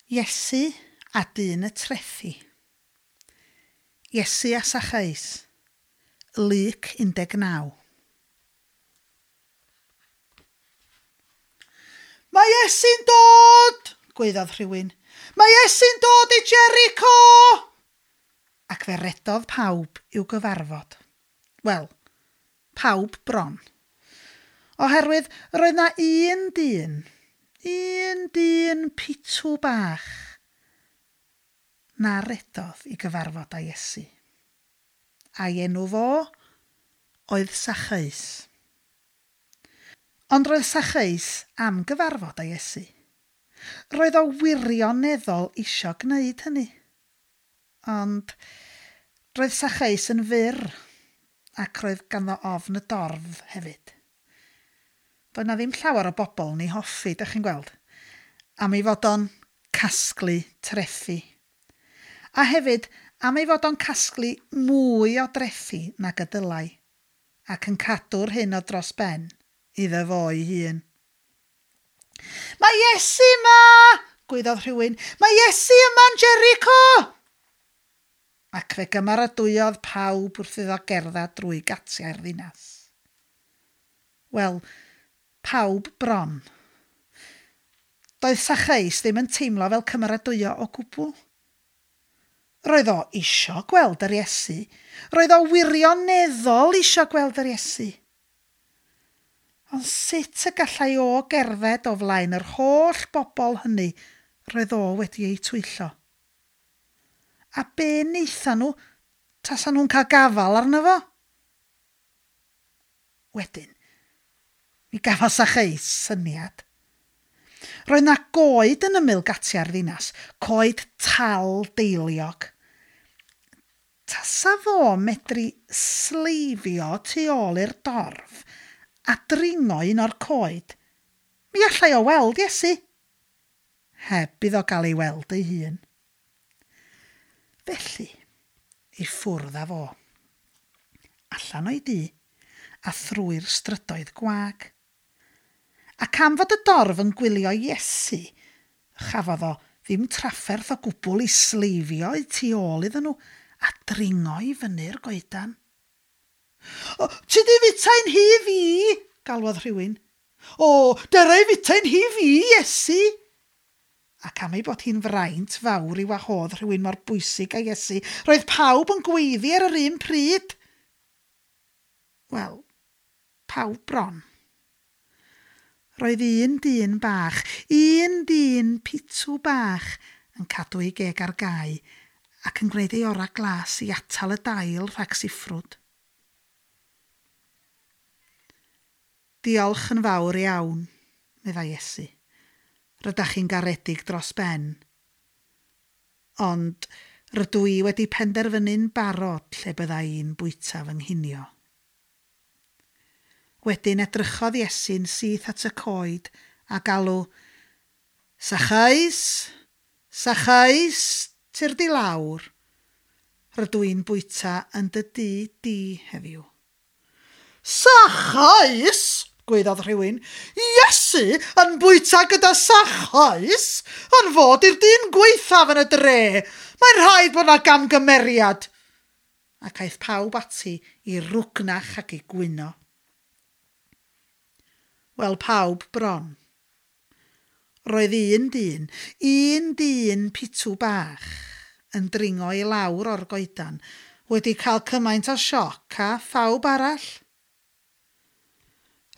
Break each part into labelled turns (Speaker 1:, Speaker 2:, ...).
Speaker 1: Iesu a dyn y trethi. Iesu a Sacheus. Luc 19. Mae Iesu'n dod! gwaeddodd rhywun. Mae Iesu'n dod i Jericho! Ac fe redodd pawb i'w gyfarfod. Wel, pawb bron. Oherwydd roedd 'na un dyn, un dyn pitw bach, na redodd i gyfarfod â Iesu. A'i enw fo oedd Sacheus. Ond roedd Sacheus am gyfarfod â Iesu. Roedd o wirioneddol isio gwneud hynny. Ond roedd Sacheus yn fyr, ac roedd ganddo ofn y dorf hefyd. Doedd 'na ddim llawer o bobl yn ei hoffi, dych chi'n gweld, am ei fod o'n casglu trethi. A hefyd am ei fod o'n casglu mwy o drethi nag y dylai, ac yn cadw'r hyn o dros ben iddo fo'i hun. Mae Iesu 'ma! gwaeddodd rhywun. Mae Iesu yma'n Jericho! Ac fe gymeradwyodd pawb wrth iddo gerdded drwy gatiau'r ddinas. Wel, pawb bron. Doedd Sacheus ddim yn teimlo fel cymeradwyo o gwbl. Roedd o isio gweld yr Iesu. Roedd o wirioneddol isio gweld yr Iesu. Ond sut y gallai o gerdded o flaen yr holl bobl hynny roedd o wedi eu twyllo? A be wnaethan nhw tasa nhw'n cael gafael arno fo? Wedyn, mi gafodd Sacheus syniad. Roedd 'na goed yn ymyl gatiau'r ddinas, coed tal deiliog. Tasa fo medru sleifio tu ôl i'r dorf a dringo un o'r coed, mi allai o weld Iesu, heb iddo gael ei weld ei hun. Felly, i ffwrdd â fo. Allan o'i dŷ, a thrwy'r strydoedd gwag. Ac am fod y dorf yn gwylio Iesu, chafodd o ddim trafferth o gwbl i sleifio i tu ôl iddyn nhw a dringo i fyny'r goedan. O, ti di fitai'n hi fi? galwodd rhywun. O, dera i fitai'n hi fi, Iesu! Ac am ei bod hi'n fraint fawr i wahodd rhywun mor bwysig â Iesu, roedd pawb yn gweiddi ar yr un pryd. Wel, pawb bron. Roedd un dyn bach, un dyn pitw bach, yn cadw ei geg ar gau ac yn gwneud ei orau glas i atal y dail rhag siffrwd. Diolch yn fawr iawn, meddai Iesu. Rydach chi'n garedig dros ben. Ond rydw i wedi penderfynu'n barod lle bydda i'n bwyta fy nghinio. Wedyn edrychodd Iesu'n syth at y coed a galw, Sacheus! Sacheus! Tyrd i lawr. Rydw i'n bwyta yn dy dŷ di heddiw. Sacheus! gwaeddodd rhywun. Iesu yn bwyta gyda Sacheus? Yn fod i'r dyn gwaethaf yn y dre! Mae'n rhaid bod 'na gamgymeriad! Ac aeth pawb ati i rwgnach ac i gwyno. Wel, pawb bron. Roedd un dyn, un dyn pitw bach, yn dringo i lawr o'r goedan, wedi cael cymaint o sioc â phawb arall.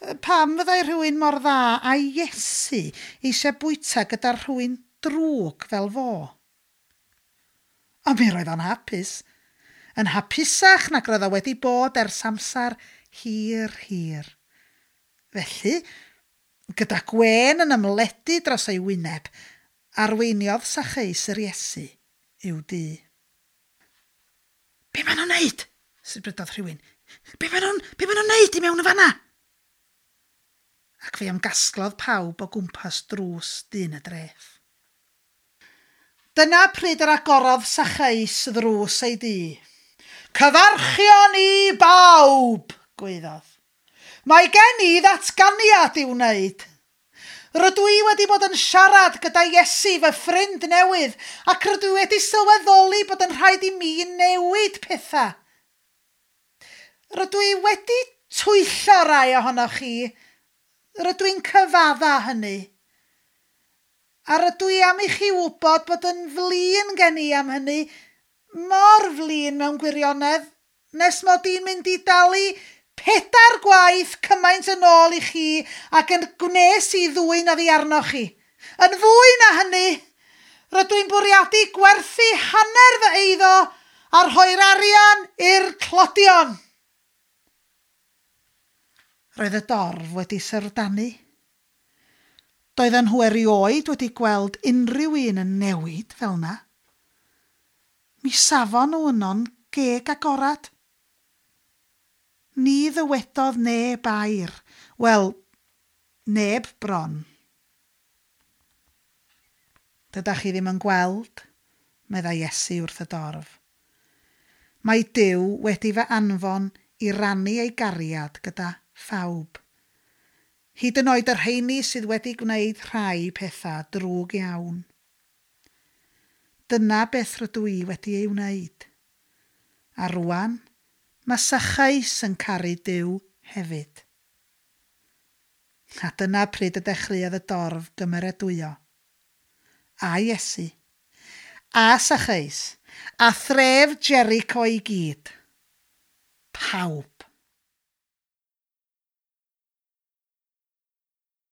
Speaker 1: Pam fyddai rhywun mor dda â Iesu eisiau bwyta gyda rhywun drwg fel fo? Ond mi roedd o'n hapus. Yn hapusach nag roedd o wedi bod ers amser hir, hir. Felly, gyda gwên yn ymledu dros ei wyneb, arweiniodd Sacheus yr Iesu i'w dŷ. Be maen nhw'n neud? sibrydodd rhywun. Be maen nhw'n, be maen nhw'n neud i mewn yn fanna? Ac fe ymgasglodd pawb o gwmpas drws dyn y dref. Dyna pryd yr agorodd Sacheus ddrws ei dŷ. Cyfarchion i bawb! gwaeddodd. Mae gen i ddatganiad i'w wneud. Rydw i wedi bod yn siarad gyda Iesu fy ffrind newydd ac rydw i wedi sylweddoli bod yn rhaid i mi newid pethau. Rydw i wedi twyllo rai ohonoch chi. Rydw i'n cyfadda hynny. A rydw i am i chi wybod bod yn flin gen i am hynny, mor flin mewn gwirionedd, nes mod i'n mynd i dalu pedair gwaith cymaint yn ôl i chi ac yn gwnes i ddwyn oddi arnoch chi. Yn fwy na hynny, rydw i'n bwriadu gwerthu hanner fy eiddo a rhoi'r arian i'r tlodion. Roedd y dorf wedi syrdanu. Doedden nhw erioed wedi gweld unrhyw un yn newid fel 'na. Mi safon nhw yno'n geg agorad. Ni ddywedodd neb air. Wel, neb bron. Dydach chi ddim yn gweld, meddai Iesu wrth y dorf. Mae Duw wedi fy anfon i rannu ei gariad gyda phawb. Hyd yn oed y rheini sydd wedi gwneud rhai pethau drwg iawn. Dyna beth rydw i wedi ei wneud. A rwan, mae Sacheus yn caru Duw hefyd. A dyna pryd y dechreuodd y dorf gymeradwyo. A Iesu, a Sacheus, a thref Jericho i gyd. Pawb.